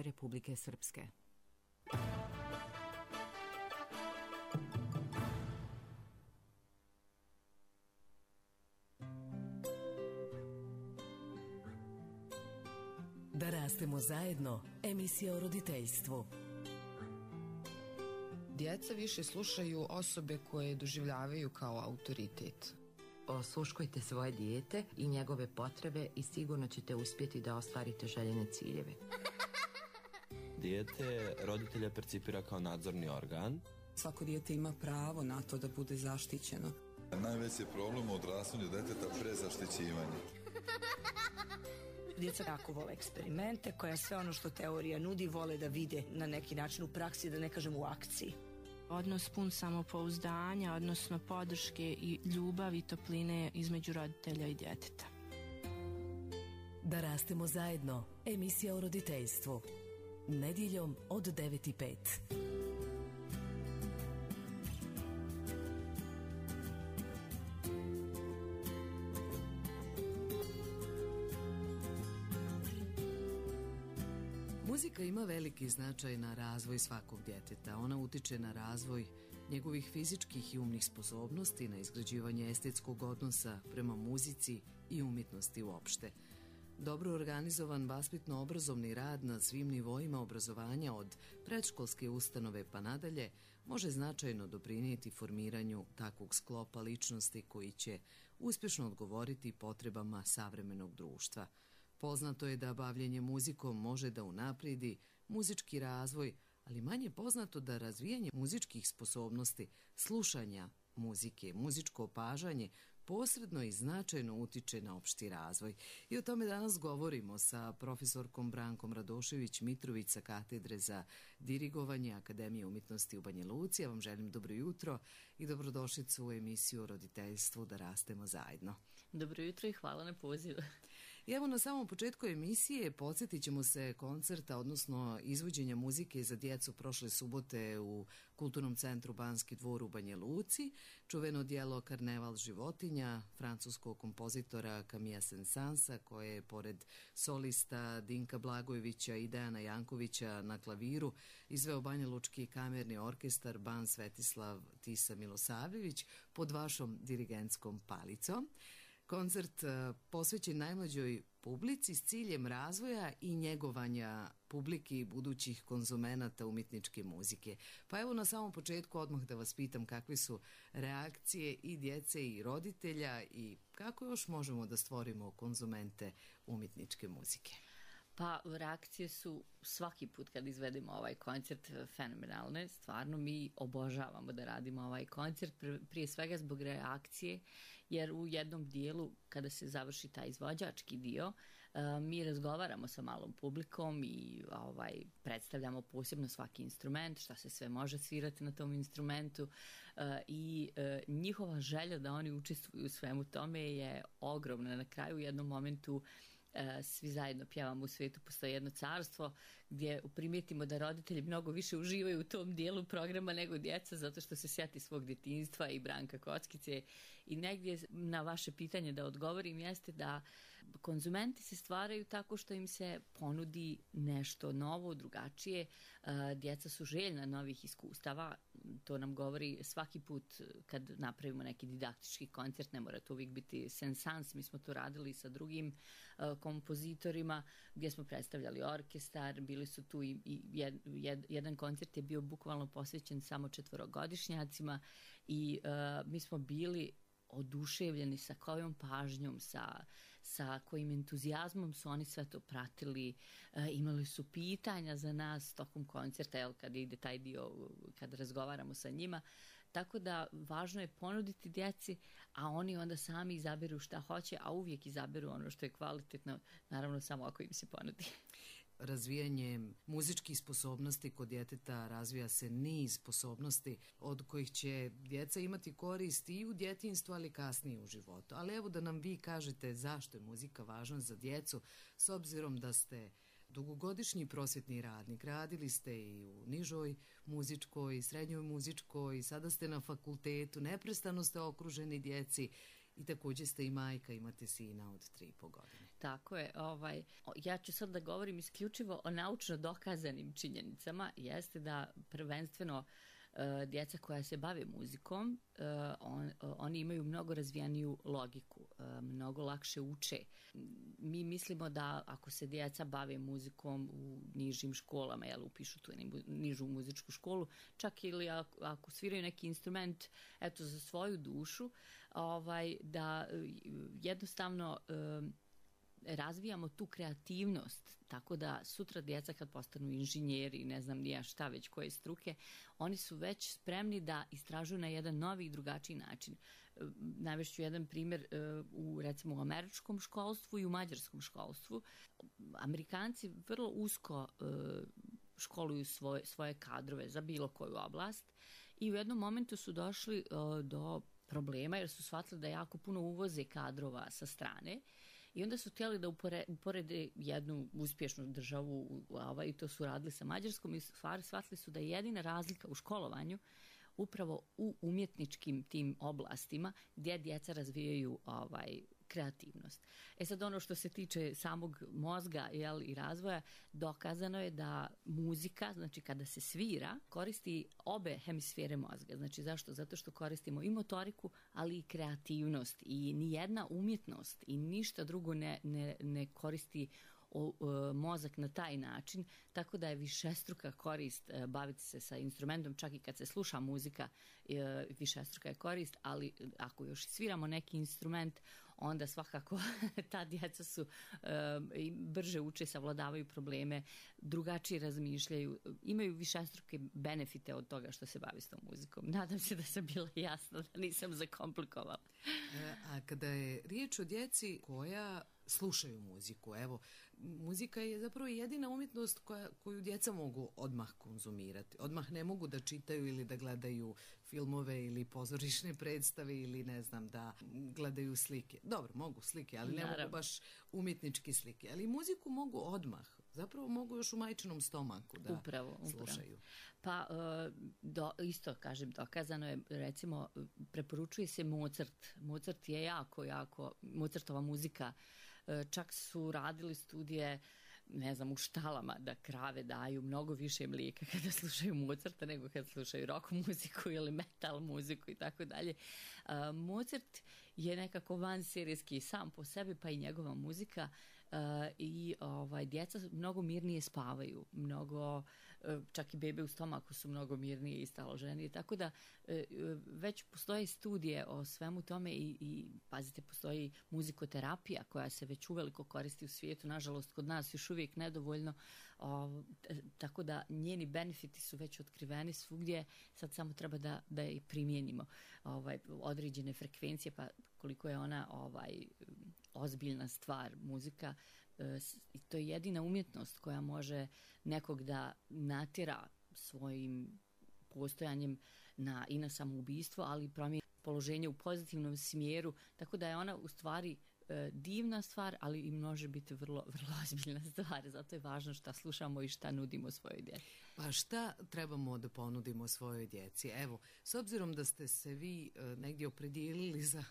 Republike Srpske. Da rastemo zajedno, emisija o roditeljstvu. Djeca više slušaju osobe koje doživljavaju kao autoritet. Osluškujte svoje dijete i njegove potrebe i sigurno ćete uspjeti da ostvarite željene ciljeve. Dijete roditelja percipira kao nadzorni organ. Svako dijete ima pravo na to da bude zaštićeno. Najveći problem u odrastanju djeteta prezaštićivanje. Djeca jako vole eksperimente, koja sve ono što teorija nudi vole da vide na neki način u praksi, da ne kažem u akciji. Odnos pun samopouzdanja, odnosno podrške i ljubavi i topline između roditelja i djeteta. Da rastemo zajedno, emisija o roditeljstvu. Nedjeljom od 9:05. Muzika ima veliki značaj na razvoj svakog djeteta. Ona utiče na razvoj njegovih fizičkih i umnih sposobnosti, na izgrađivanje estetskog odnosa prema muzici i umjetnosti uopšte. Dobro organizovan vaspitno-obrazovni rad na svim nivoima obrazovanja od predškolske ustanove pa nadalje može značajno doprinijeti formiranju takvog sklopa ličnosti koji će uspješno odgovoriti potrebama savremenog društva. Poznato je da bavljenje muzikom može da unaprijedi muzički razvoj, ali manje poznato da razvijanje muzičkih sposobnosti, slušanja muzike, muzičko opažanje posredno i značajno utiče na opšti razvoj. I o tome danas govorimo sa profesorkom Brankom Radošević-Mitrović sa katedre za dirigovanje Akademije umjetnosti u Banja Luci. Ja vam želim dobro jutro i dobrodošlicu u emisiju o roditeljstvu Da rastemo zajedno. Dobro jutro i hvala na pozivu. I evo na samom početku emisije podsjetit ćemo se koncerta, odnosno izvođenja muzike za djecu prošle subote u Kulturnom centru Banski dvor u Banja Luci, čuveno djelo Karneval životinja francuskog kompozitora Camilla Saint-Saënsa, koje je pored solista Dinka Blagojevića i Dejana Jankovića na klaviru izveo Banjalučki kamerni orkestar Ban Svetislav Tisa Milosavljević pod vašom dirigentskom palicom. Koncert posvećen najmlađoj publici s ciljem razvoja i njegovanja publike i budućih konzumenata umjetničke muzike. Pa evo na samom početku odmah da vas pitam kakve su reakcije i djece i roditelja i kako još možemo da stvorimo konzumente umjetničke muzike. Pa reakcije su svaki put kad izvedemo ovaj koncert fenomenalne. Stvarno mi obožavamo da radimo ovaj koncert, prije svega zbog reakcije, jer u jednom dijelu kada se završi taj izvođački dio, mi razgovaramo sa malom publikom i predstavljamo posebno svaki instrument, šta se sve može svirati na tom instrumentu i njihova želja da oni učestvuju u svemu tome je ogromna. Na kraju u jednom momentu svi zajedno pjevamo U svijetu postoji jedno carstvo, gdje primijetimo da roditelji mnogo više uživaju u tom dijelu programa nego djeca, zato što se sjeti svog djetinjstva i Branka Kockice. I negdje na vaše pitanje da odgovorim jeste da konzumenti se stvaraju tako što im se ponudi nešto novo, drugačije. Djeca su željna novih iskustava, to nam govori svaki put kad napravimo neki didaktički koncert, ne mora to uvijek biti Saint-Saëns, mi smo to radili sa drugim kompozitorima gdje smo predstavljali orkestar, bili su tu i jedan koncert je bio bukvalno posvećen samo 4-godišnjacima i mi smo bili oduševljeni sa kojom pažnjom, sa kojim entuzijazmom su oni sve to pratili, imali su pitanja za nas tokom koncerta, kad ide taj dio, kad razgovaramo sa njima, tako da važno je ponuditi djeci, a oni onda sami izaberu šta hoće, a uvijek izaberu ono što je kvalitetno, naravno samo ako im se ponudi. Razvijanjem muzičkih sposobnosti kod djeteta razvija se niz sposobnosti od kojih će djeca imati korist i u djetinjstvu, ali kasnije u životu. Ali evo da nam vi kažete zašto je muzika važna za djecu, s obzirom da ste dugogodišnji prosvjetni radnik, radili ste i u nižoj muzičkoj, srednjoj muzičkoj, sada ste na fakultetu, neprestano ste okruženi djeci i također ste i majka, imate sina od 3,5 godine. Tako je. Ja ću sad da govorim isključivo o naučno dokazanim činjenicama. Jeste da prvenstveno djeca koja se bave muzikom, oni imaju mnogo razvijaniju logiku, mnogo lakše uče. Mi mislimo da ako se djeca bave muzikom u nižim školama, upišu tu nižu muzičku školu, čak ili ako sviraju neki instrument za svoju dušu, da jednostavno razvijamo tu kreativnost, tako da sutra djeca kad postanu inženjeri, ne znam nija šta već koje struke, oni su već spremni da istražuju na jedan novi i drugačiji način. Navešću jedan primjer recimo u američkom školstvu i u mađarskom školstvu. Amerikanci vrlo usko školuju svoje kadrove za bilo koju oblast i u jednom momentu su došli do problema jer su shvatili da jako puno uvoze kadrova sa strane. I onda su htjeli da uporede jednu uspješnu državu i to su radili sa Mađarskom i shvatili su da je jedina razlika u školovanju upravo u umjetničkim tim oblastima gdje djeca razvijaju kreativnost. Sad ono što se tiče samog mozga i razvoja, dokazano je da muzika, znači kada se svira, koristi obe hemisfere mozga. Znači zašto? Zato što koristimo i motoriku, ali i kreativnost i nijedna umjetnost i ništa drugo ne koristi mozak na taj način, tako da je višestruka korist baviti se sa instrumentom, čak i kad se sluša muzika, višestruka je korist, ali ako još sviramo neki instrument, onda svakako ta djeca su brže uče, savladavaju probleme, drugačije razmišljaju, imaju višestruke benefite od toga što se bavi s tom muzikom. Nadam se da sam bila jasna, da nisam zakomplikovala. A kada je riječ o djeci koja slušaju muziku, muzika je zapravo jedina umjetnost koju djeca mogu odmah konzumirati. Odmah ne mogu da čitaju ili da gledaju filmove ili pozorišne predstave ili ne znam da gledaju slike. Dobro, mogu slike, ali ne mogu baš umjetničke slike. Ali muziku mogu odmah. Zapravo mogu još u majčinom stomaku da slušaju. Pa isto kažem, dokazano je, recimo preporučuje se Mozart. Mozart je jako, Mozartova muzika, čak su radili studije, ne znam, u štalama da krave daju mnogo više mlijeka kada slušaju Mozarta nego kada slušaju rock muziku ili metal muziku i tako dalje. Mozart je nekako vanserijski sam po sebi, pa i njegova muzika, i djeca mnogo mirnije spavaju, čak i bebe u stomaku su mnogo mirnije i staloženije, tako da već postoje studije o svemu tome i pazite, postoji muzikoterapija koja se već uveliko koristi u svijetu, nažalost kod nas još uvijek nedovoljno, tako da njeni benefiti su već otkriveni svugdje, sad samo treba da i primijenimo određene frekvencije, pa koliko je ona ozbiljna stvar, muzika, i to je jedina umjetnost koja može nekog da natjera svojim postojanjem i na samoubistvo, ali promijeni položenje u pozitivnom smjeru, tako da je ona u stvari divna stvar, ali i može biti vrlo, vrlo ozbiljna stvar. Zato je važno šta slušamo i šta nudimo svojoj djeci. Pa šta trebamo da ponudimo svojoj djeci? Evo, s obzirom da ste se vi negdje opredijelili za,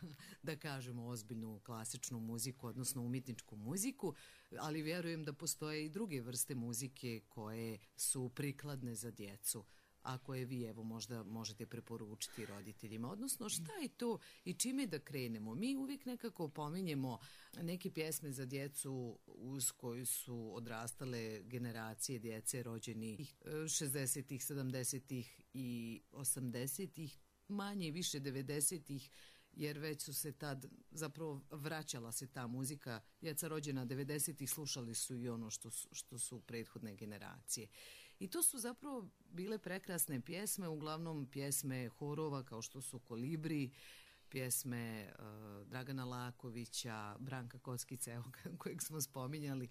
da kažemo, ozbiljnu klasičnu muziku, odnosno umjetničku muziku, ali vjerujem da postoje i druge vrste muzike koje su prikladne za djecu, a koje vi možda možete preporučiti roditeljima. Odnosno, šta je to i čime da krenemo? Mi uvijek nekako pominjemo neke pjesme za djecu uz koju su odrastale generacije djece rođeni 60-ih, 70-ih i 80-ih, manje i više 90-ih, jer već su se tad, zapravo vraćala se ta muzika. Djeca rođena 90-ih slušali su i ono što su prethodne generacije. I to su zapravo bile prekrasne pjesme, uglavnom pjesme horova kao što su Kolibri, pjesme Dragana Lakovića, Branka Kockice, kojeg smo spominjali,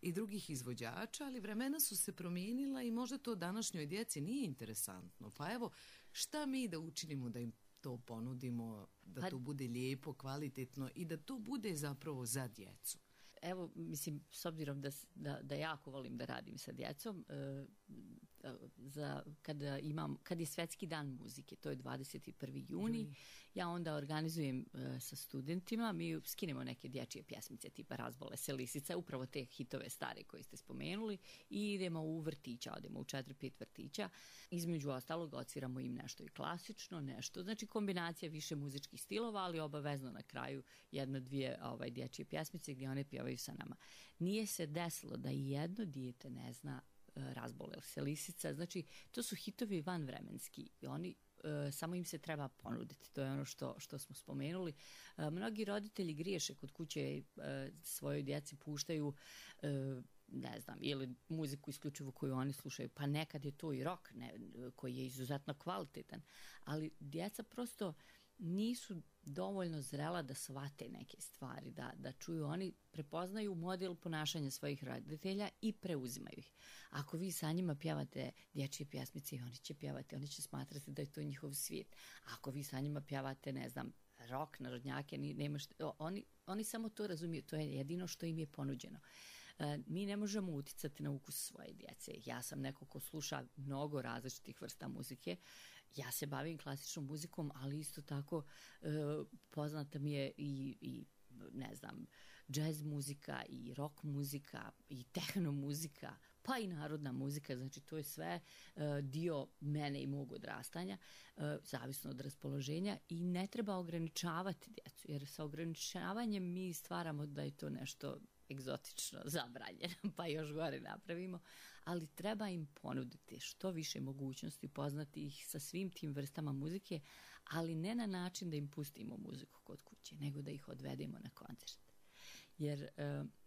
i drugih izvođača, ali vremena su se promijenila i možda to današnjoj djeci nije interesantno. Pa evo, šta mi da učinimo da im to ponudimo, da to bude lijepo, kvalitetno i da to bude zapravo za djecu? Evo, mislim, s obzirom da jako volim da radim sa djecom, kad je Svetski dan muzike, to je 21. juni, ja onda organizujem sa studentima, mi skinemo neke dječje pjesmice tipa Razbole se lisica, upravo te hitove stare koje ste spomenuli, i idemo u vrtića, odemo u 4-5 vrtića, između ostalog odsviramo im nešto i klasično, nešto, znači kombinacija više muzičkih stilova, ali obavezno na kraju 1-2 dječje pjesmice gdje one pjevaju sa nama. Nije se desilo da i jedno dijete ne zna Razbole se lisica, znači to su hitovi vanvremenski i oni samo im se treba ponuditi, to je ono što smo spomenuli. Mnogi roditelji griješe kod kuće, svojoj djeci puštaju ne znam, ili muziku isključivo koju oni slušaju, pa nekad je to i rock koji je izuzetno kvalitetan, ali djeca prosto nisu dovoljno zrela da shvate neke stvari, da čuju, oni prepoznaju model ponašanja svojih roditelja i preuzimaju ih. Ako vi sa njima pjevate dječje pjesmice, oni će pjevati, oni će smatrati da je to njihov svijet. Ako vi sa njima pjevate, ne znam, rock, narodnjake, oni samo to razumiju, to je jedino što im je ponuđeno. Mi ne možemo uticati na ukus svoje djece. Ja sam neko ko sluša mnogo različitih vrsta muzike. Ja se bavim klasičnom muzikom, ali isto tako poznata mi je i ne znam, džez muzika i rock muzika i tehno muzika, pa i narodna muzika, znači to je sve dio mene i mog odrastanja, zavisno od raspoloženja, i ne treba ograničavati djecu, jer sa ograničavanjem mi stvaramo da je to nešto egzotično, zabranjeno, pa još gore napravimo, ali treba im ponuditi što više mogućnosti, poznati ih sa svim tim vrstama muzike, ali ne na način da im pustimo muziku kod kuće, nego da ih odvedemo na koncert. Jer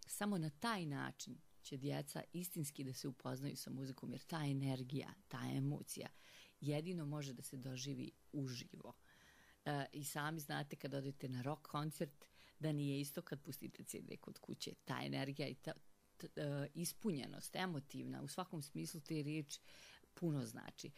samo na taj način će djeca istinski da se upoznaju sa muzikom, jer ta energija, ta emocija jedino može da se doživi uživo. I sami znate kad odete na rock koncert da nije isto kad pustite CD kod kuće. Ta energija i ta ispunjenost, emotivna, u svakom smislu te riječi puno znači.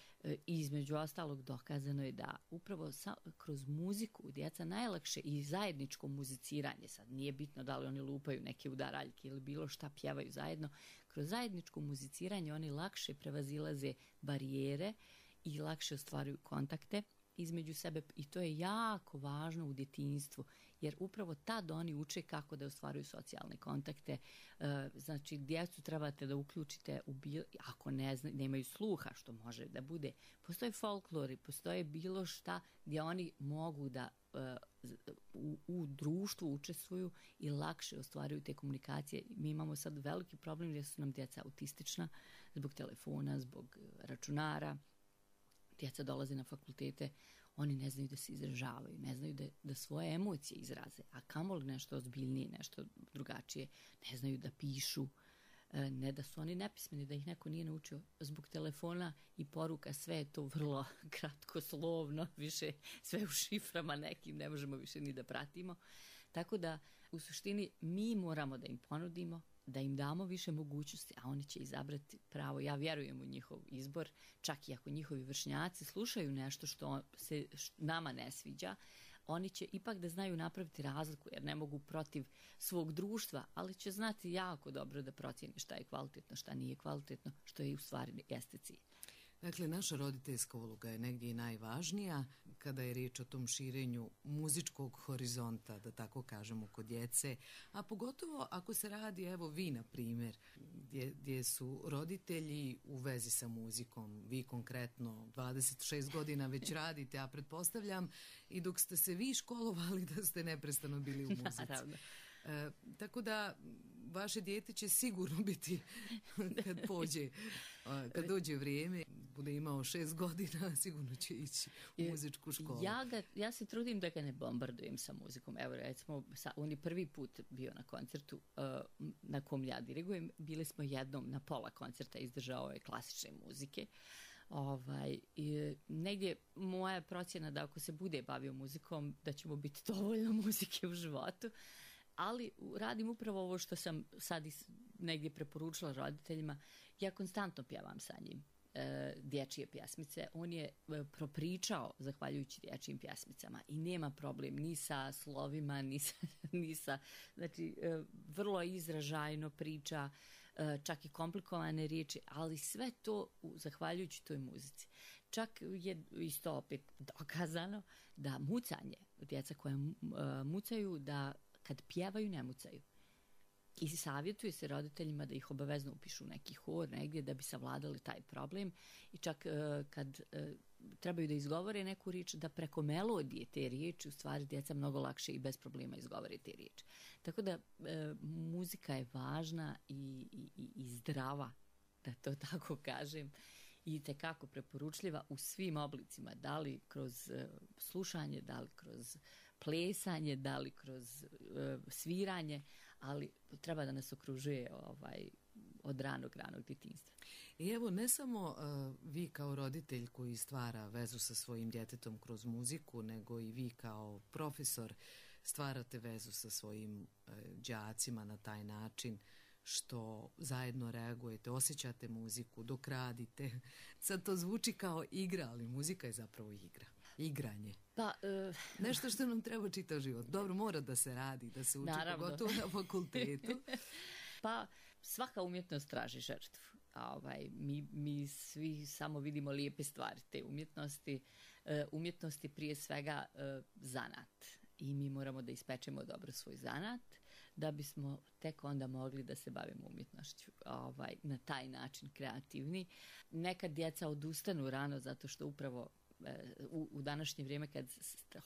Između ostalog dokazano je da upravo kroz muziku djeca najlakše, i zajedničko muziciranje, sad nije bitno da li oni lupaju neke udaraljke ili bilo šta, pjevaju zajedno, kroz zajedničko muziciranje oni lakše prevazilaze barijere i lakše ostvaruju kontakte između sebe, i to je jako važno u djetinjstvu, jer upravo tad oni uče kako da ostvaruju socijalne kontakte. Znači, djecu trebate da uključite ako nemaju sluha, što može da bude. Postoje folklori, postoje bilo šta gdje oni mogu da u društvu učestvuju i lakše ostvaruju te komunikacije. Mi imamo sad veliki problem jer su nam djeca autistična zbog telefona, zbog računara. Djeca dolaze na fakultete, oni ne znaju da se izražavaju, ne znaju da svoje emocije izraze, a kamoli nešto ozbiljnije, nešto drugačije, ne znaju da pišu, ne da su oni nepismeni, da ih neko nije naučio. Zbog telefona i poruka sve je to vrlo kratkoslovno, više sve u šiframa nekim, ne možemo više ni da pratimo. Tako da u suštini mi moramo da im ponudimo, da im damo više mogućnosti, a oni će izabrati pravo. Ja vjerujem u njihov izbor, čak i ako njihovi vršnjaci slušaju nešto što se nama ne sviđa, oni će ipak da znaju napraviti razliku, jer ne mogu protiv svog društva, ali će znati jako dobro da procijene šta je kvalitetno, šta nije kvalitetno, što je u stvari jeste cilj. Dakle, naša roditeljska uloga je negdje i najvažnija kada je riječ o tom širenju muzičkog horizonta, da tako kažemo, kod djece, a pogotovo ako se radi, evo vi na primjer, gdje su roditelji u vezi sa muzikom, vi konkretno 26 godina već radite, a pretpostavljam i dok ste se vi školovali da ste neprestano bili u muzici. Naravno. Tako da vaše dijete će sigurno biti kad dođe vrijeme, bude imao 6 godina, sigurno će ići u muzičku školu. Ja se trudim da ga ne bombardujem sa muzikom. Evo recimo, on je prvi put bio na koncertu na kom ja dirigujem. Bili smo jednom na pola koncerta, izdržao ove klasične muzike. Negdje moja procjena da ako se bude bavio muzikom, da će mu biti dovoljno muzike u životu. Ali radim upravo ovo što sam sad negdje preporučila roditeljima. Ja konstantno pjevam sa njim dječje pjesmice. On je propričao zahvaljujući dječjim pjesmicama i nema problem ni sa slovima, ni sa znači vrlo izražajno priča. čak i komplikovane riječi, ali sve to zahvaljujući toj muzici. Čak je isto opet dokazano da mucanje, djeca koja mucaju, da kad pjevaju ne mucaju. I savjetuje se roditeljima da ih obavezno upišu u neki hor negdje da bi savladali taj problem i čak kad trebaju da izgovore neku riječ, da preko melodije te riječi u stvari djeca mnogo lakše i bez problema izgovore te riječi. Tako da muzika je važna i zdrava, da to tako kažem, i tekako preporučljiva u svim oblicima, da li kroz slušanje, da li kroz plesanje, da li kroz sviranje, ali treba da nas okružuje od ranog djetinjstva. I evo, ne samo vi kao roditelj koji stvara vezu sa svojim djetetom kroz muziku, nego i vi kao profesor stvarate vezu sa svojim đacima na taj način što zajedno reagujete, osjećate muziku dok radite. Sad to zvuči kao igra, ali muzika je zapravo igra. Igranje. Pa, nešto što nam treba čitav život. Dobro, mora da se radi, da se uči, pogotovo na fakultetu. Pa, svaka umjetnost traži žrtvu. Mi svi samo vidimo lijepe stvari te umjetnosti. Umjetnosti prije svega zanat. I mi moramo da ispečemo dobro svoj zanat, da bismo tek onda mogli da se bavimo umjetnošću na taj način kreativni. Nekad djeca odustanu rano zato što upravo u današnje vrijeme kad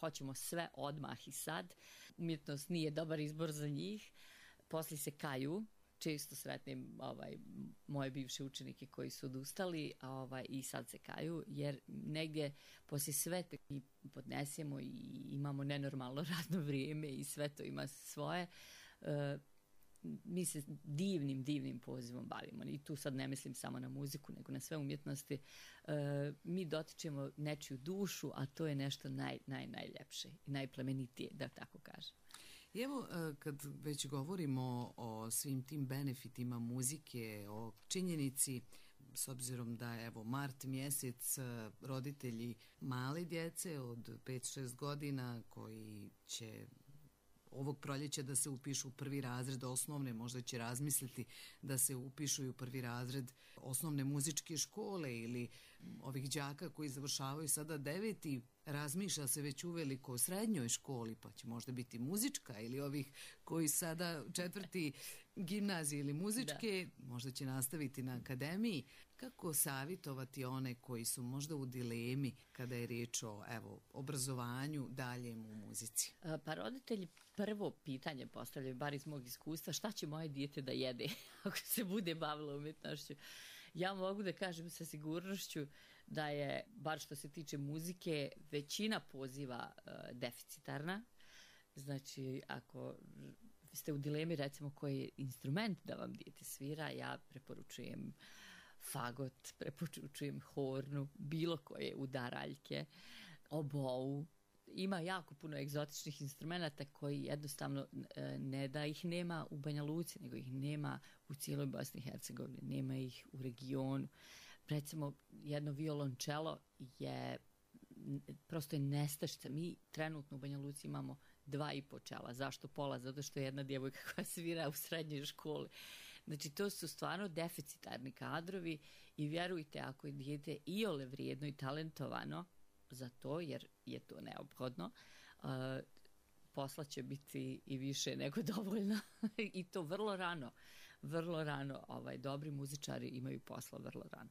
hoćemo sve odmah i sad, umjetnost nije dobar izbor za njih, poslije se kaju. Često sretnim moje bivše učenike koji su odustali i sad se kaju, jer negdje poslije sve to mi podnesemo i imamo nenormalno radno vrijeme i sve to ima svoje. Mi se divnim pozivom bavimo i tu sad ne mislim samo na muziku nego na sve umjetnosti. Mi dotičemo nečiju dušu, a to je nešto najljepše i najplemenitije, da tako kažem. I evo, kad već govorimo o svim tim benefitima muzike, o činjenici, s obzirom da evo mart mjesec, roditelji male djece od 5-6 godina koji će ovog proljeća da se upišu u prvi razred osnovne, možda će razmisliti da se upišu i u prvi razred osnovne muzičke škole ili ovih đaka koji završavaju sada 9. razmišlja se već uveliko o srednjoj školi, pa će možda biti muzička, ili ovih koji sada 4. gimnazije ili muzičke, možda će nastaviti na akademiji. Kako savjetovati one koji su možda u dilemi kada je riječ o obrazovanju daljem u muzici? Pa roditelji prvo pitanje postavljaju, bar iz mog iskustva, šta će moje dijete da jede ako se bude bavilo umjetnošću? Ja mogu da kažem sa sigurnošću da je, bar što se tiče muzike, većina poziva deficitarna. Znači, ako ste u dilemi, recimo, koji instrument da vam dijete svira, ja preporučujem fagot, preporučujem hornu, bilo koje udaraljke, obou. Ima jako puno egzotičnih instrumenta koji jednostavno ne da ih nema u Banja Luci, nego ih nema u cijeloj Bosni i Hercegovini, nema ih u regionu. Recimo, jedno violončelo je prosto je nestašica. Mi trenutno u Banja Luci imamo 2,5 čela. Zašto pola? Zato što je jedna djevojka koja svira u srednjoj školi. Znači, to su stvarno deficitarni kadrovi i vjerujte, ako je dijete iole vrijedno i talentovano za to, jer je to neophodno, posla će biti i više nego dovoljno i to vrlo rano. Dobri muzičari imaju posla vrlo rano.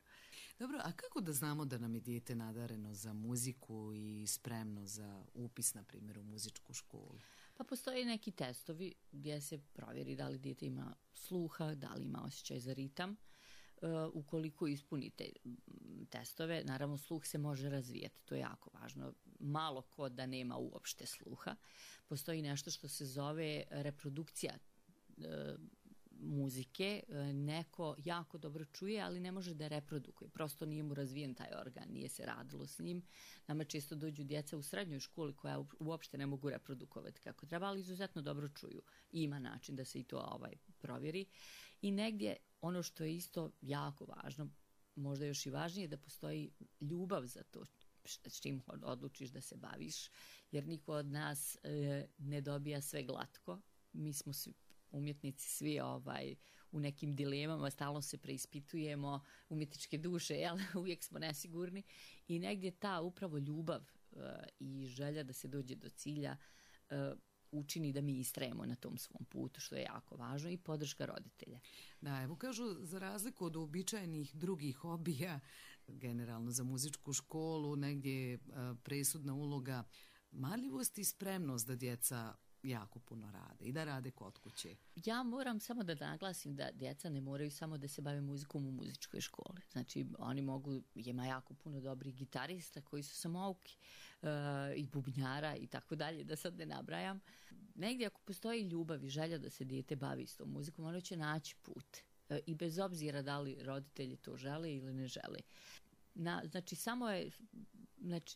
Dobro, a kako da znamo da nam je dijete nadareno za muziku i spremno za upis, na primjer, u muzičku školu? Pa postoje neki testovi gdje se provjeri da li dijete ima sluha, da li ima osjećaj za ritam. Ukoliko ispunite testove, naravno sluh se može razvijati, to je jako važno. Malo ko da nema uopšte sluha. Postoji nešto što se zove reprodukcija muzike, neko jako dobro čuje, ali ne može da reprodukuje. Prosto nije mu razvijen taj organ, nije se radilo s njim. Nama često dođu djeca u srednjoj školi koja uopšte ne mogu reprodukovati kako treba, ali izuzetno dobro čuju. I ima način da se i to provjeri. I negdje ono što je isto jako važno, možda još i važnije, da postoji ljubav za to s čim odlučiš da se baviš, jer niko od nas ne dobija sve glatko. Mi smo umjetnici svi u nekim dilemama, stalno se preispitujemo, umjetničke duše, jel? Uvijek smo nesigurni i negdje ta upravo ljubav i želja da se dođe do cilja učini da mi istrajemo na tom svom putu, što je jako važno, i podrška roditelja. Da, evo kažu, za razliku od uobičajenih drugih hobija, generalno za muzičku školu, negdje je presudna uloga marljivost i spremnost da djeca jako puno rade i da rade kod kuće. Ja moram samo da naglasim da djeca ne moraju samo da se bave muzikom u muzičkoj školi. Znači, oni mogu, ima jako puno dobrih gitarista koji su samouki i bubnjara i tako dalje, da sad ne nabrajam. Negdje ako postoji ljubav i želja da se dijete bavi s tom muzikom, ono će naći put. I bez obzira da li roditelji to žele ili ne žele. Znači, samo je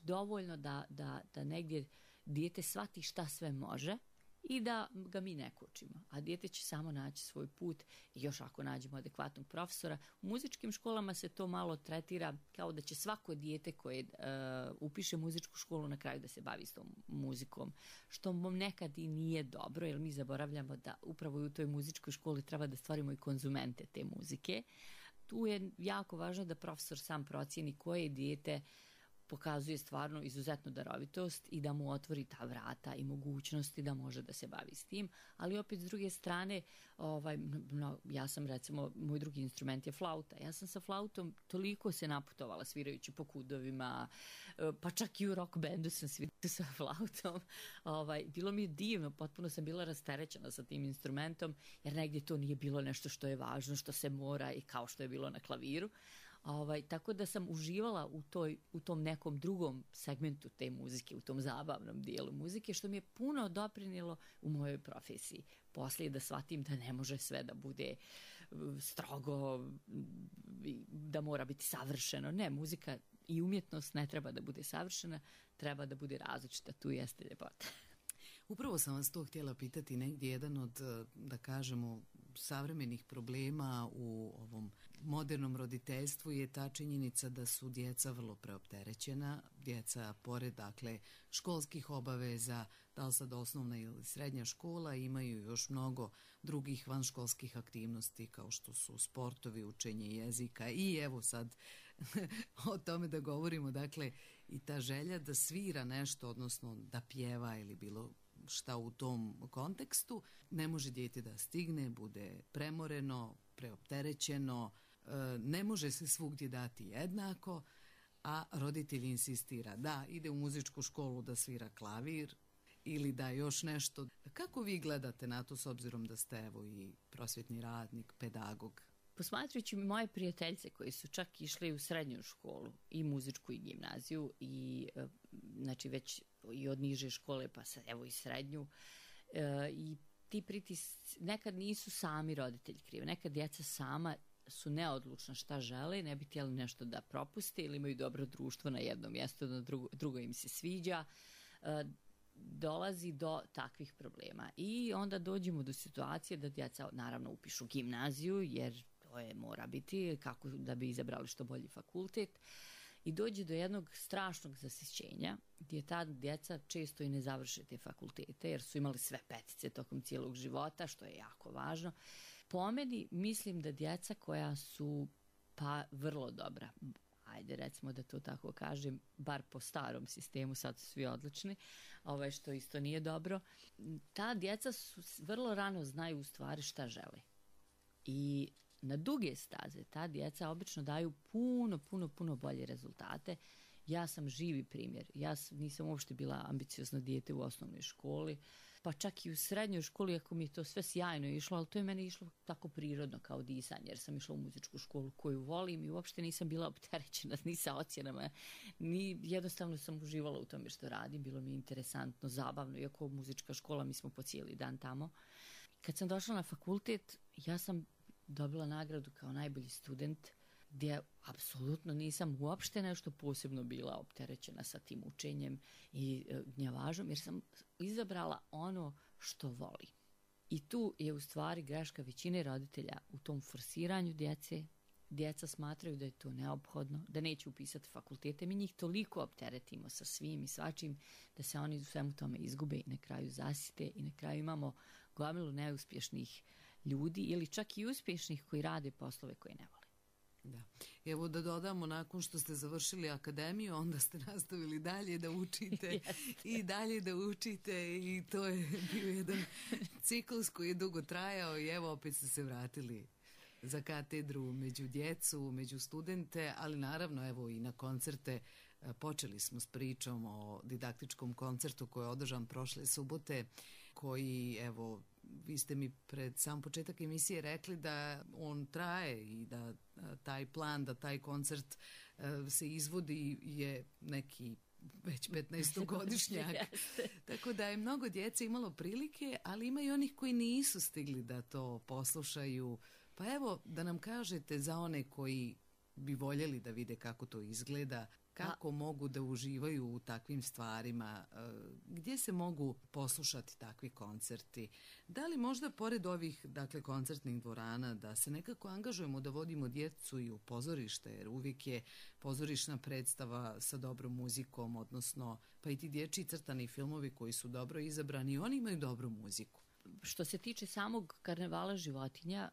dovoljno da negdje dijete shvati šta sve može i da ga mi ne kočimo. A dijete će samo naći svoj put i još ako nađemo adekvatnog profesora. U muzičkim školama se to malo tretira kao da će svako dijete koje upiše muzičku školu na kraju da se bavi s tom muzikom. Što nekad i nije dobro, jer mi zaboravljamo da upravo u toj muzičkoj školi treba da stvorimo i konzumente te muzike. Tu je jako važno da profesor sam procijeni koje dijete pokazuje stvarno izuzetnu darovitost i da mu otvori ta vrata i mogućnosti da može da se bavi s tim, ali opet s druge strane ja sam recimo, moj drugi instrument je flauta. Ja sam sa flautom toliko se naputovala svirajući po kudovima, pa čak i u rock bandu sam svirala sa flautom. Bilo mi je divno, potpuno sam bila rasterećena sa tim instrumentom, jer negdje to nije bilo nešto što je važno, što se mora i kao što je bilo na klaviru. Tako da sam uživala u tom nekom drugom segmentu te muzike, u tom zabavnom dijelu muzike, što mi je puno doprinijelo u mojoj profesiji. Poslije da shvatim da ne može sve da bude strogo, da mora biti savršeno. Ne, muzika i umjetnost ne treba da bude savršena, treba da bude različita, tu jeste ljepota. Upravo sam vas to htjela pitati, negdje jedan od, da kažemo, savremenih problema u ovom modernom roditeljstvu je ta činjenica da su djeca vrlo preopterećena. Djeca, pored dakle školskih obaveza, da li sad osnovna ili srednja škola, imaju još mnogo drugih vanškolskih aktivnosti kao što su sportovi, učenje jezika i evo sad o tome da govorimo, dakle i ta želja da svira nešto, odnosno da pjeva ili bilo šta u tom kontekstu, ne može dijete da stigne, bude premoreno, preopterećeno, ne može se svugdje dati jednako, a roditelj insistira da ide u muzičku školu da svira klavir ili da još nešto. Kako vi gledate na to, s obzirom da ste evo i prosvjetni radnik, pedagog? Posmatrajući moje prijateljce koji su čak išli u srednju školu, i muzičku i gimnaziju, i znači već i od niže škole pa evo i srednju, i ti pritisci nekad nisu sami roditelji krivi, nekad djeca sama su neodlučna šta žele, ne bi htjeli nešto da propuste ili imaju dobro društvo na jednom mjestu, na drugo im se sviđa, dolazi do takvih problema. I onda dođemo do situacije da djeca naravno upišu gimnaziju, jer to mora biti kako da bi izabrali što bolji fakultet, i dođe do jednog strašnog zasićenja gdje ta djeca često i ne završe te fakultete jer su imali sve petice tokom cijelog života, što je jako važno. Po meni mislim da djeca koja su pa vrlo dobra, ajde recimo da to tako kažem, bar po starom sistemu, sad su svi odlični, što isto nije dobro, ta djeca vrlo rano znaju u stvari šta žele. I na duge staze ta djeca obično daju puno bolje rezultate. Ja sam živi primjer. Ja nisam uopšte bila ambiciozno dijete u osnovnoj školi, pa čak i u srednjoj školi, ako mi je to sve sjajno išlo, ali to je meni išlo tako prirodno kao disanje, jer sam išla u muzičku školu koju volim i uopšte nisam bila opterećena ni sa ocjenama, ni jednostavno sam uživala u tome što radim, bilo mi je interesantno, zabavno, iako muzička škola, mi smo po cijeli dan tamo. Kad sam došla na fakultet, ja sam dobila nagradu kao najbolji student, gdje apsolutno nisam uopšte nešto posebno bila opterećena sa tim učenjem i gnjavažom, jer sam izabrala ono što volim. I tu je u stvari greška većine roditelja u tom forsiranju djece. Djeca smatraju da je to neophodno, da neće upisati fakultete. Mi njih toliko opteretimo sa svim i svačim da se oni u svemu tome izgube i na kraju zasite i na kraju imamo gomilu neuspješnih ljudi ili čak i uspješnih koji rade poslove koje ne vole. Da. Evo da dodamo, nakon što ste završili akademiju, onda ste nastavili dalje da učite i dalje da učite i to je bio jedan ciklus koji je dugo trajao i evo opet ste se vratili za katedru među djecu, među studente, ali naravno evo i na koncerte. Počeli smo s pričom o didaktičkom koncertu koji je održan prošle subote, koji, evo, vi ste mi pred sam početak emisije rekli da on traje i da taj plan, da taj koncert se izvodi je neki već 15-godišnjak. Tako da je mnogo djece imalo prilike, ali ima i onih koji nisu stigli da to poslušaju. Pa evo, da nam kažete za one koji bi voljeli da vide kako to izgleda, kako mogu da uživaju u takvim stvarima, gdje se mogu poslušati takvi koncerti. Da li možda pored ovih, dakle, koncertnih dvorana da se nekako angažujemo da vodimo djecu i u pozorište, jer uvijek je pozorišna predstava sa dobrom muzikom, odnosno pa i ti dječji crtani filmovi koji su dobro izabrani, oni imaju dobru muziku. Što se tiče samog karnevala životinja,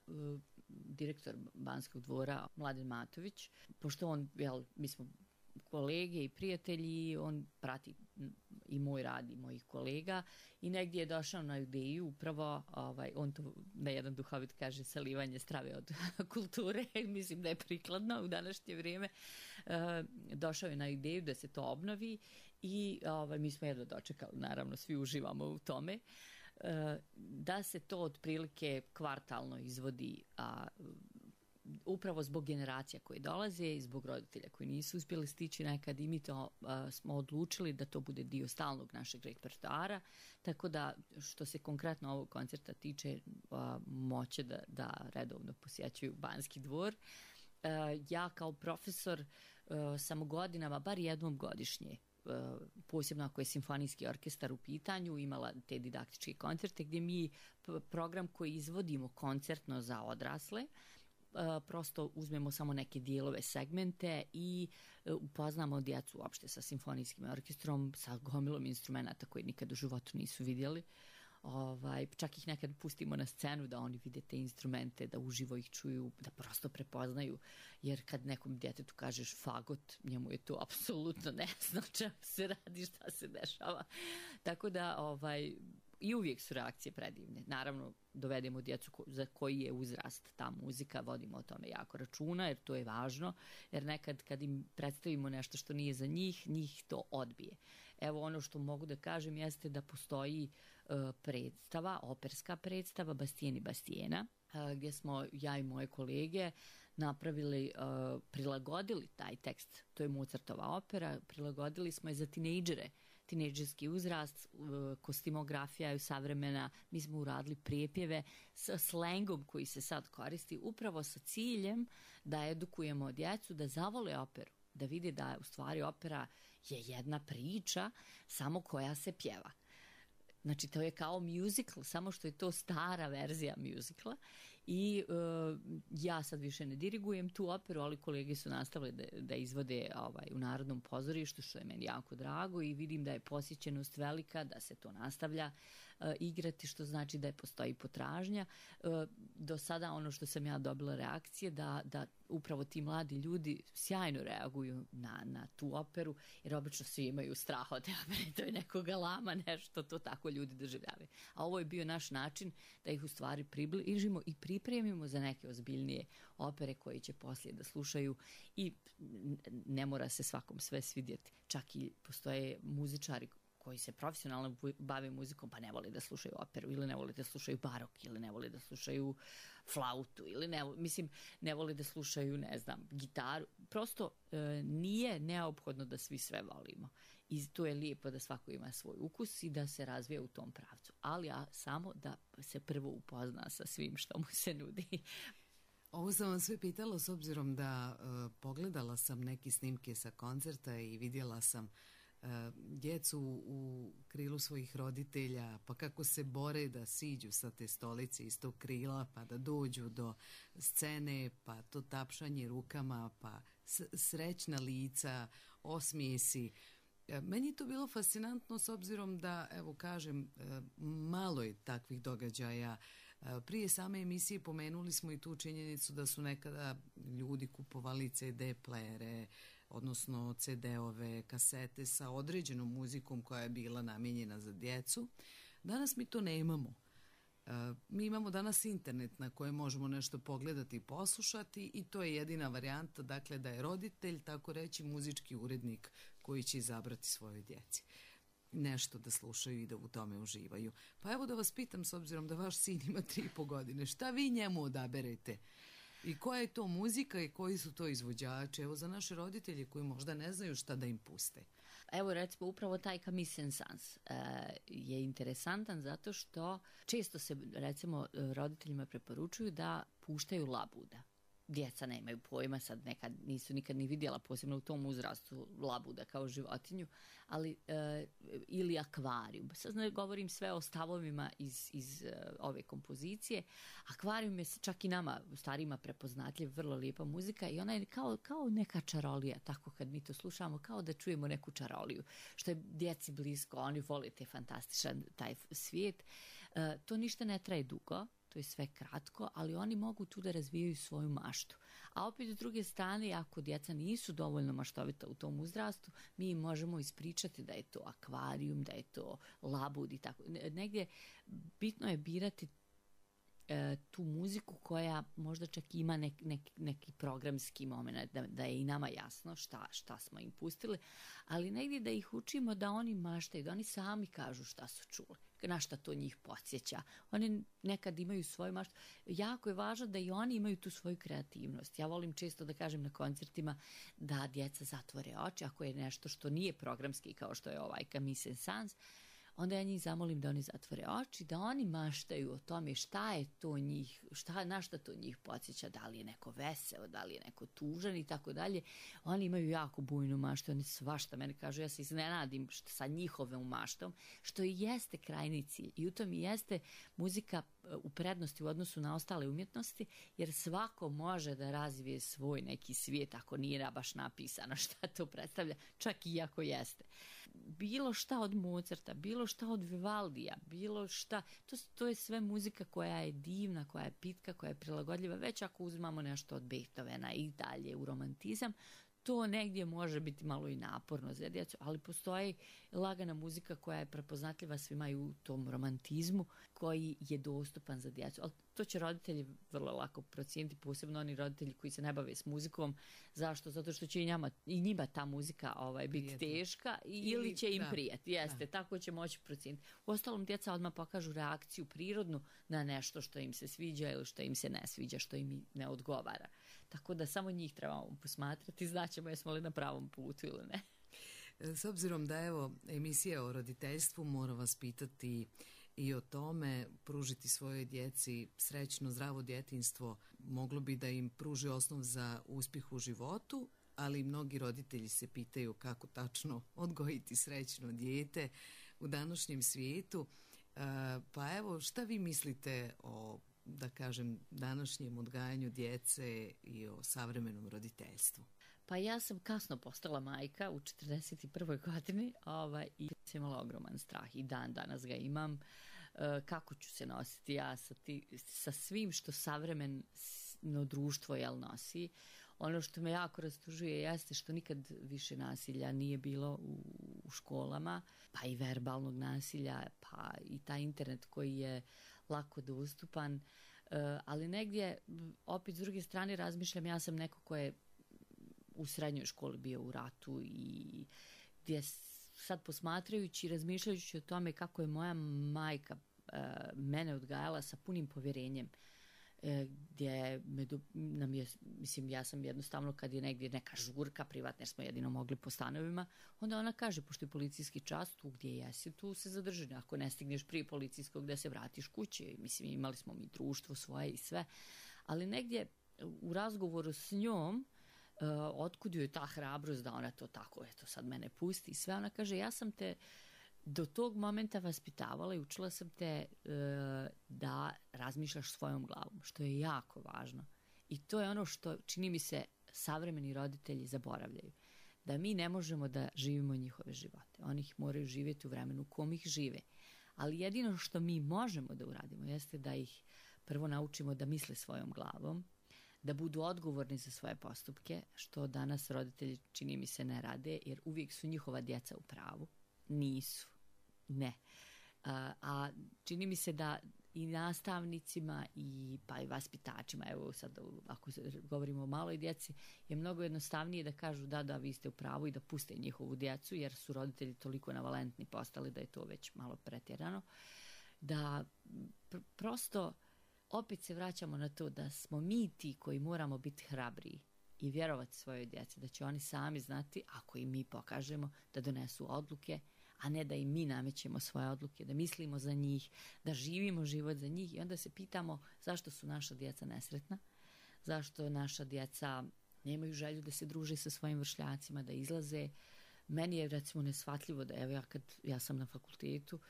direktor Banskog dvora Mladen Matović, pošto on, mi smo kolege i prijatelji, on prati i moj rad i mojih kolega i negdje je došao na ideju upravo, on to na jedan duhovit kaže, salivanje strave od kulture, mislim da je prikladno u današnje vrijeme, došao je na ideju da se to obnovi i mi smo jedno dočekali, naravno svi uživamo u tome, da se to otprilike kvartalno izvodi, upravo zbog generacija koje dolaze i zbog roditelja koji nisu uspjeli stići nekad i mi to smo odlučili da to bude dio stalnog našeg repertoara, tako da što se konkretno ovog koncerta tiče moće da redovno posjećuju Banski dvor. Ja kao profesor sam godinama, bar jednom godišnje, posebno ako je simfonijski orkestar u pitanju, imala te didaktičke koncerte gdje mi program koji izvodimo koncertno za odrasle, prosto uzmemo samo neke dijelove, segmente i upoznamo djecu uopšte sa simfonijskim orkestrom, sa gomilom instrumenta koji nikad u životu nisu vidjeli. Čak ih nekad pustimo na scenu da oni vide te instrumente, da uživo ih čuju, da prosto prepoznaju, jer kad nekom djetetu kažeš fagot, njemu je to apsolutno ne zna čemu se radi, šta se dešava. Tako da i uvijek su reakcije predivne. Naravno, dovedemo djecu za koji je uzrast ta muzika, vodimo o tome jako računa, jer to je važno, jer nekad kad im predstavimo nešto što nije za njih, njih to odbije. Evo, ono što mogu da kažem jeste da postoji predstava, operska predstava Bastien i Bastiena, gdje smo ja i moje kolege napravili, prilagodili taj tekst, to je Mozartova opera, prilagodili smo je za tinejdžere, tinejdžerski uzrast, kostimografija je savremena, mi smo uradili prijepjeve sa slengom koji se sad koristi, upravo sa ciljem da edukujemo djecu, da zavole operu, da vide da u stvari opera je jedna priča, samo koja se pjeva. Znači, to je kao musical, samo što je to stara verzija musicala i ja sad više ne dirigujem tu operu, ali kolege su nastavili da izvode u Narodnom pozorištu, što je meni jako drago i vidim da je posjećenost velika, da se to nastavlja igrati, što znači da postoji potražnja. Do sada ono što sam ja dobila reakcije da upravo ti mladi ljudi sjajno reaguju na tu operu, jer obično svi imaju strah od te opere, to je neko galama, nešto, to tako ljudi doživljavaju. A ovo je bio naš način da ih u stvari približimo i pripremimo za neke ozbiljnije opere koje će poslije da slušaju i ne mora se svakom sve svidjeti. Čak i postoje muzičari koji se profesionalno bave muzikom pa ne vole da slušaju operu ili ne vole da slušaju barok ili ne vole da slušaju flautu ili ne vole da slušaju, ne znam, gitaru. Prosto nije neophodno da svi sve volimo. I to je lijepo da svako ima svoj ukus i da se razvija u tom pravcu. Ali samo da se prvo upozna sa svim što mu se nudi. Ovo sam vam sve pitala s obzirom da pogledala sam neke snimke sa koncerta i vidjela sam djecu u krilu svojih roditelja, pa kako se bore da siđu sa te stolice iz tog krila, pa da dođu do scene, pa to tapšanje rukama, pa srećna lica, osmijesi. Meni je to bilo fascinantno s obzirom da, evo kažem, malo je takvih događaja. Prije same emisije pomenuli smo i tu činjenicu da su nekada ljudi kupovali CD playere, odnosno CD-ove, kasete sa određenom muzikom koja je bila namijenjena za djecu. Danas mi to nemamo. Mi imamo danas internet na kojem možemo nešto pogledati i poslušati i to je jedina varijanta, dakle da je roditelj, tako reći, muzički urednik koji će izabrati svojoj djeci nešto da slušaju i da u tome uživaju. Pa evo da vas pitam, s obzirom da vaš sin ima 3,5 godine, šta vi njemu odaberete? I koja je to muzika i koji su to izvođači? Evo za naše roditelje koji možda ne znaju šta da im puste. Evo recimo upravo taj Camille Saint-Saëns je interesantan zato što često se recimo roditeljima preporučuju da puštaju labuda. Djeca nemaju pojma, sad nekad nisu nikad ni vidjela, posebno u tom uzrastu, labuda kao životinju, ali ili akvarijum. Sad govorim sve o stavovima iz ove kompozicije. Akvarijum je čak i nama, starima, prepoznatljiv, vrlo lijepa muzika i ona je kao neka čarolija, tako kad mi to slušamo, kao da čujemo neku čaroliju, što je djeci blisko, oni vole te fantastičan taj svijet. To ništa ne traje dugo, to je sve kratko, ali oni mogu tu da razvijaju svoju maštu. A opet s druge strane, ako djeca nisu dovoljno maštovita u tom uzrastu, mi im možemo ispričati da je to akvarijum, da je to labud i tako. Negdje bitno je birati tu muziku koja možda čak ima neki programski moment, da je i nama jasno šta smo im pustili, ali negdje da ih učimo da oni maštaju, da oni sami kažu šta su čuli, na šta to njih podsjeća. Oni nekad imaju svoju maštu. Jako je važno da i oni imaju tu svoju kreativnost. Ja volim često da kažem na koncertima da djeca zatvore oči, ako je nešto što nije programski kao što je ovaj Camille Saint-Saëns, onda ja njih zamolim da oni zatvore oči, da oni maštaju o tome šta je to njih, na šta to njih podsjeća, da li je neko veseo, da li je neko tužan i tako dalje. Oni imaju jako bujnu maštu, oni svašta meni kažu, ja se iznenadim sa njihovom maštom, što i jeste krajni cilj. I u tom i jeste muzika u prednosti u odnosu na ostale umjetnosti, jer svako može da razvije svoj neki svijet ako nije baš napisano šta to predstavlja, čak i ako jeste. Bilo šta od Mozarta, bilo šta od Vivaldija, bilo šta, to je sve muzika koja je divna, koja je pitka, koja je prilagodljiva, već ako uzmamo nešto od Beethovena i dalje u romantizam, to negdje može biti malo i naporno za djecu, ali postoji lagana muzika koja je prepoznatljiva svima i u tom romantizmu koji je dostupan za djecu. Ali to će roditelji vrlo lako procijeniti, posebno oni roditelji koji se ne bave s muzikom. Zašto? Zato što će i njima ta muzika biti teška ili će im prijeti. Jeste, tako će moći procijeniti. Uostalom, djeca odmah pokažu reakciju prirodnu na nešto što im se sviđa ili što im se ne sviđa, što im ne odgovara. Tako da samo njih trebamo posmatrati, znaćemo jesmo li na pravom putu ili ne. S obzirom da evo emisija o roditeljstvu, moram vas pitati i o tome, pružiti svojoj djeci srećno, zdravo djetinjstvo moglo bi da im pruži osnov za uspjeh u životu, ali mnogi roditelji se pitaju kako tačno odgojiti srećno dijete u današnjem svijetu. Pa evo, šta vi mislite o, da kažem, današnjem odgajanju djece i o savremenom roditeljstvu? Pa ja sam kasno postala majka u 41. godini i sam imala ogroman strah i dan danas ga imam. Kako ću se nositi ja sa svim što savremeno društvo nosi. Ono što me jako rastužuje jeste što nikad više nasilja nije bilo u školama, pa i verbalnog nasilja, pa i taj internet koji je lako dostupan. Ali negdje, opet s druge strane razmišljam, ja sam neko ko je u srednjoj školi bio u ratu i gdje sad posmatrajući i razmišljajući o tome kako je moja majka mene odgajala sa punim povjerenjem, gdje ja sam jednostavno kad je negdje neka žurka privatna jer smo jedino mogli po stanovima, onda ona kaže, pošto je policijski čas, tu gdje jesi, tu se zadrži, ako ne stigneš prije policijskog da se vratiš kući. Mislim, imali smo mi društvo svoje i sve, ali negdje u razgovoru s njom otkud joj ta hrabrost da ona to tako, eto sad mene pusti i sve, ona kaže, ja sam te do tog momenta vaspitavala i učila sam te da razmišljaš svojom glavom, što je jako važno. I to je ono što čini mi se savremeni roditelji zaboravljaju. da mi ne možemo da živimo njihove živote. Oni ih moraju živjeti u vremenu u kom ih žive. Ali jedino što mi možemo da uradimo jeste da ih prvo naučimo da misle svojom glavom, da budu odgovorni za svoje postupke, što danas roditelji čini mi se ne rade, jer uvijek su njihova djeca u pravu. Nisu. Ne. A čini mi se da i nastavnicima pa i vaspitačima, evo sad ako govorimo o maloj djeci, je mnogo jednostavnije da kažu da vi ste u pravu i da puste njihovu djecu, jer su roditelji toliko navalentni postali da je to već malo pretjerano. Da prosto opet se vraćamo na to da smo mi ti koji moramo biti hrabriji i vjerovati svojoj djeci, da će oni sami znati, ako im mi pokažemo, da donesu odluke, a ne da im mi namećemo svoje odluke, da mislimo za njih, da živimo život za njih i onda se pitamo zašto su naša djeca nesretna, zašto naša djeca nemaju želju da se druže sa svojim vršnjacima, da izlaze. Meni je recimo neshvatljivo da evo ja sam na fakultetu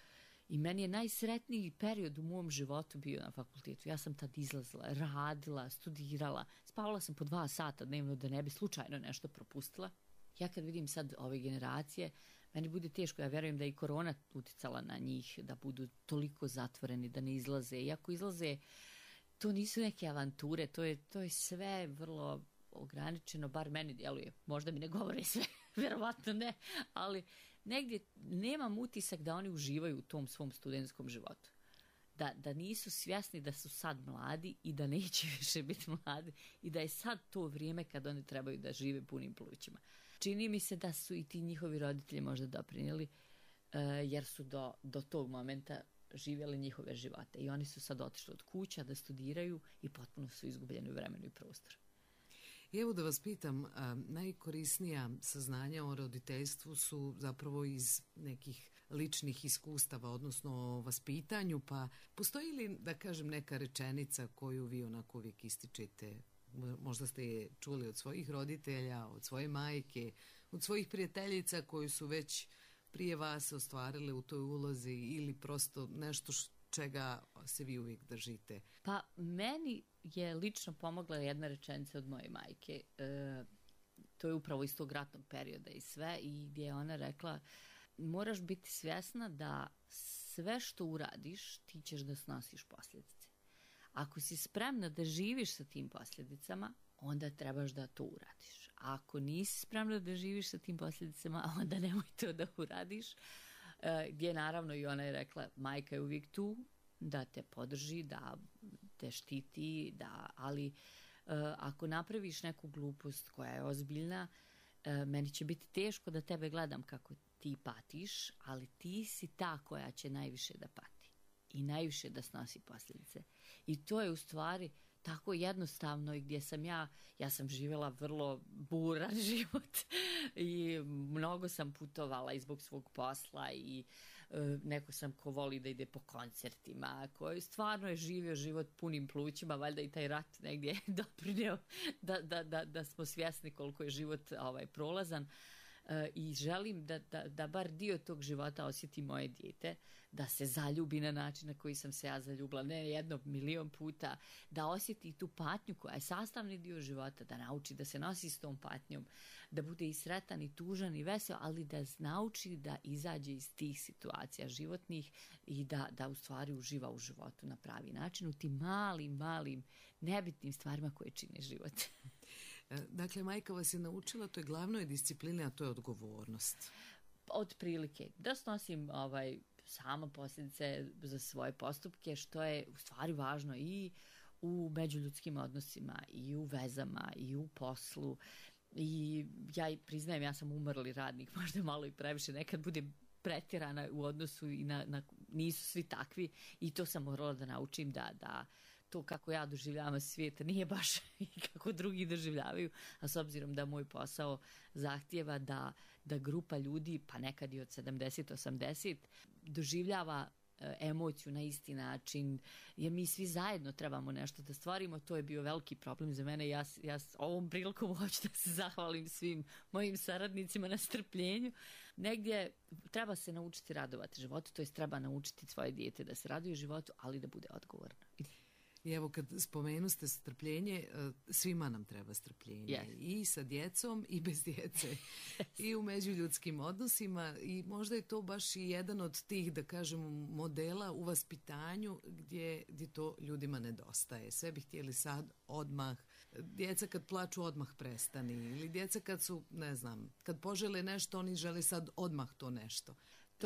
i meni je najsretniji period u mom životu bio na fakultetu. Ja sam tad izlazila, radila, studirala, spavala sam po 2 sata dnevno da ne bi slučajno nešto propustila. Ja kad vidim sad ove generacije, meni bude teško, ja vjerujem da je i korona uticala na njih, da budu toliko zatvoreni, da ne izlaze. Iako izlaze, to nisu neke avanture, to je sve vrlo ograničeno, bar meni djeluje. Možda mi ne govore sve, vjerovatno ne, ali negdje nemam utisak da oni uživaju u tom svom studentskom životu. Da nisu svjesni da su sad mladi i da neće više biti mladi i da je sad to vrijeme kad oni trebaju da žive punim plućima. Čini mi se da su i ti njihovi roditelji možda doprinijeli jer su do tog momenta živjeli njihove živote i oni su sad otišli od kuća da studiraju i potpuno su izgubljeni u vremenu i prostoru. I evo da vas pitam, najkorisnija saznanja o roditeljstvu su zapravo iz nekih ličnih iskustava, odnosno o vaspitanju, pa postoji li, da kažem, neka rečenica koju vi onako uvijek ističete? Možda ste je čuli od svojih roditelja, od svoje majke, od svojih prijateljica koji su već prije vas ostvarile u toj ulozi ili prosto nešto čega se vi uvijek držite? Pa meni je lično pomogla jedna rečenica od moje majke. To je upravo iz tog ratnog perioda i sve, i gdje je ona rekla: moraš biti svjesna da sve što uradiš ti ćeš da snosiš posljedice. Ako si spremna da živiš sa tim posljedicama, onda trebaš da to uradiš. A ako nisi spremna da živiš sa tim posljedicama, onda nemoj to da uradiš. Gdje naravno i ona je rekla, majka je uvijek tu da te podrži, da te štiti, ali ako napraviš neku glupost koja je ozbiljna, meni će biti teško da tebe gledam kako ti patiš, ali ti si ta koja će najviše da pati i najviše da snosi posljedice. I to je u stvari tako jednostavno, i gdje sam ja sam živjela vrlo buran život i mnogo sam putovala i zbog svog posla i neko sam ko voli da ide po koncertima, koji stvarno je živio život punim plućima, valjda i taj rat negdje doprinio da smo svjesni koliko je život prolazan. I želim da bar dio tog života osjeti moje dijete, da se zaljubi na način na koji sam se ja zaljubila, ne 1.000.000 puta, da osjeti tu patnju koja je sastavni dio života, da nauči da se nosi s tom patnjom, da bude i sretan i tužan i vesel, ali da nauči da izađe iz tih situacija životnih i da u stvari uživa u životu na pravi način, u tim malim nebitnim stvarima koje čine život. Dakle, majka vas je naučila toj glavnoj disciplini, a to je odgovornost. Od prilike. Da snosim sama posljedice za svoje postupke, što je u stvari važno i u međuljudskim odnosima, i u vezama, i u poslu. I ja priznajem, ja sam umrli radnik, možda malo i previše, nekad budem pretjerana u odnosu i nisu svi takvi, i to sam morala da naučim da to kako ja doživljavam svijet nije baš i kako drugi doživljavaju, a s obzirom da moj posao zahtjeva da grupa ljudi, pa nekad i od 70-80, doživljava emociju na isti način, jer mi svi zajedno trebamo nešto da stvarimo. To je bio veliki problem za mene. Ja ovom prilikom hoću da se zahvalim svim mojim saradnicima na strpljenju. Negdje treba se naučiti radovati životu, to jest treba naučiti svoje dijete da se raduje životu, ali da bude odgovorno. I evo kad spomenuste strpljenje, svima nam treba strpljenje. Yes. I sa djecom i bez djece. I u međuljudskim odnosima i možda je to baš i jedan od tih, da kažemo, modela u vaspitanju gdje to ljudima nedostaje. Sve bi htjeli sad odmah. Djeca kad plaču odmah prestani. Ili djeca kad su, ne znam, kad požele nešto, oni žele sad odmah to nešto.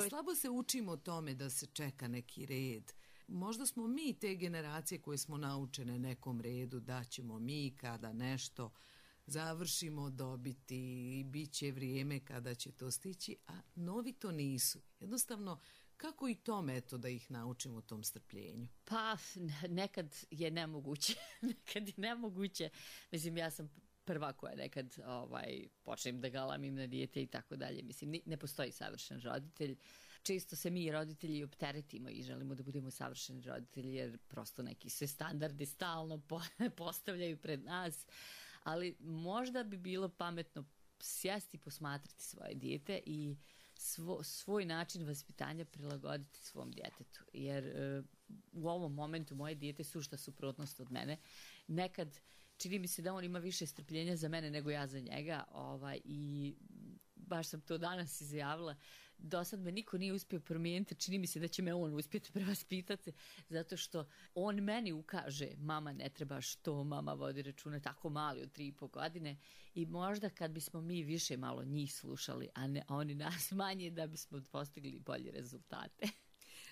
Slabo se učimo o tome da se čeka neki red. Možda smo mi te generacije koje smo naučene nekom redu, da ćemo mi kada nešto završimo dobiti i bit će vrijeme kada će to stići, a novi to nisu. Jednostavno, kako i to meto da ih naučimo tom strpljenju? Pa, nekad je nemoguće. Nekad je nemoguće. Mislim, ja sam prva koja nekad počnem da galamim na dijete i tako dalje. Mislim, ne postoji savršen roditelj. Često se mi roditelji opteretimo i želimo da budemo savršeni roditelji jer prosto neki se standardi stalno postavljaju pred nas. Ali možda bi bilo pametno sjesti i posmatrati svoje dijete i svoj način vaspitanja prilagoditi svom djetetu. Jer u ovom momentu moje dijete sušta suprotnost od mene. Nekad čini mi se da on ima više strpljenja za mene nego ja za njega i baš sam to danas izjavila. Do sad me niko nije uspio promijeniti, čini mi se da će me on uspjeti prevaspitati, zato što on meni ukaže, mama ne trebaš to, mama vodi računa, tako mali od 3,5 godine i možda kad bismo mi više malo njih slušali, a oni nas manje, da bismo postigli bolje rezultate.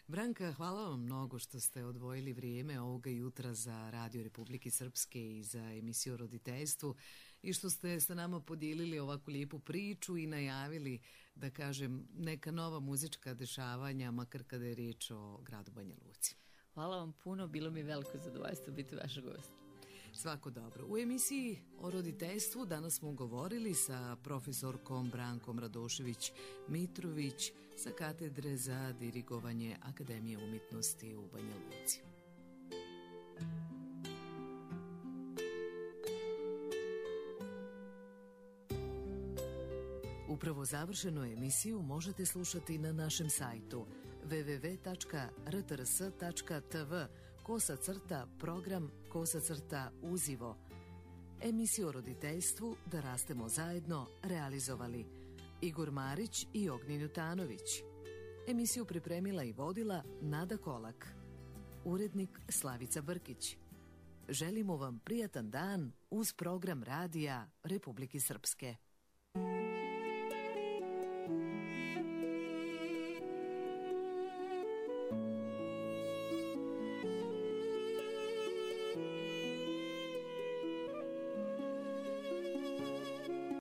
Branka, hvala vam mnogo što ste odvojili vrijeme ovoga jutra za Radio Republike Srpske i za emisiju o roditeljstvu i što ste sa nama podijelili ovakvu lijepu priču i najavili, da kažem, neka nova muzička dešavanja, makar kada je riječ o gradu Banja Luci. Hvala vam puno, bilo mi veliko zadovoljstvo biti vaša gost. Svako dobro. U emisiji o roditeljstvu danas smo govorili sa profesorkom Brankom Radošević-Mitrović sa katedre za dirigovanje Akademije umjetnosti u Banja Luci. Upravo završenu emisiju možete slušati na našem sajtu www.rtrs.tv/program/uzivo. Emisiju o roditeljstvu Da rastemo zajedno realizovali Igor Marić i Ognjen Jutanović. Emisiju pripremila i vodila Nada Kolak. Urednik Slavica Brkić. Želimo vam prijatan dan uz program Radija Republike Srpske.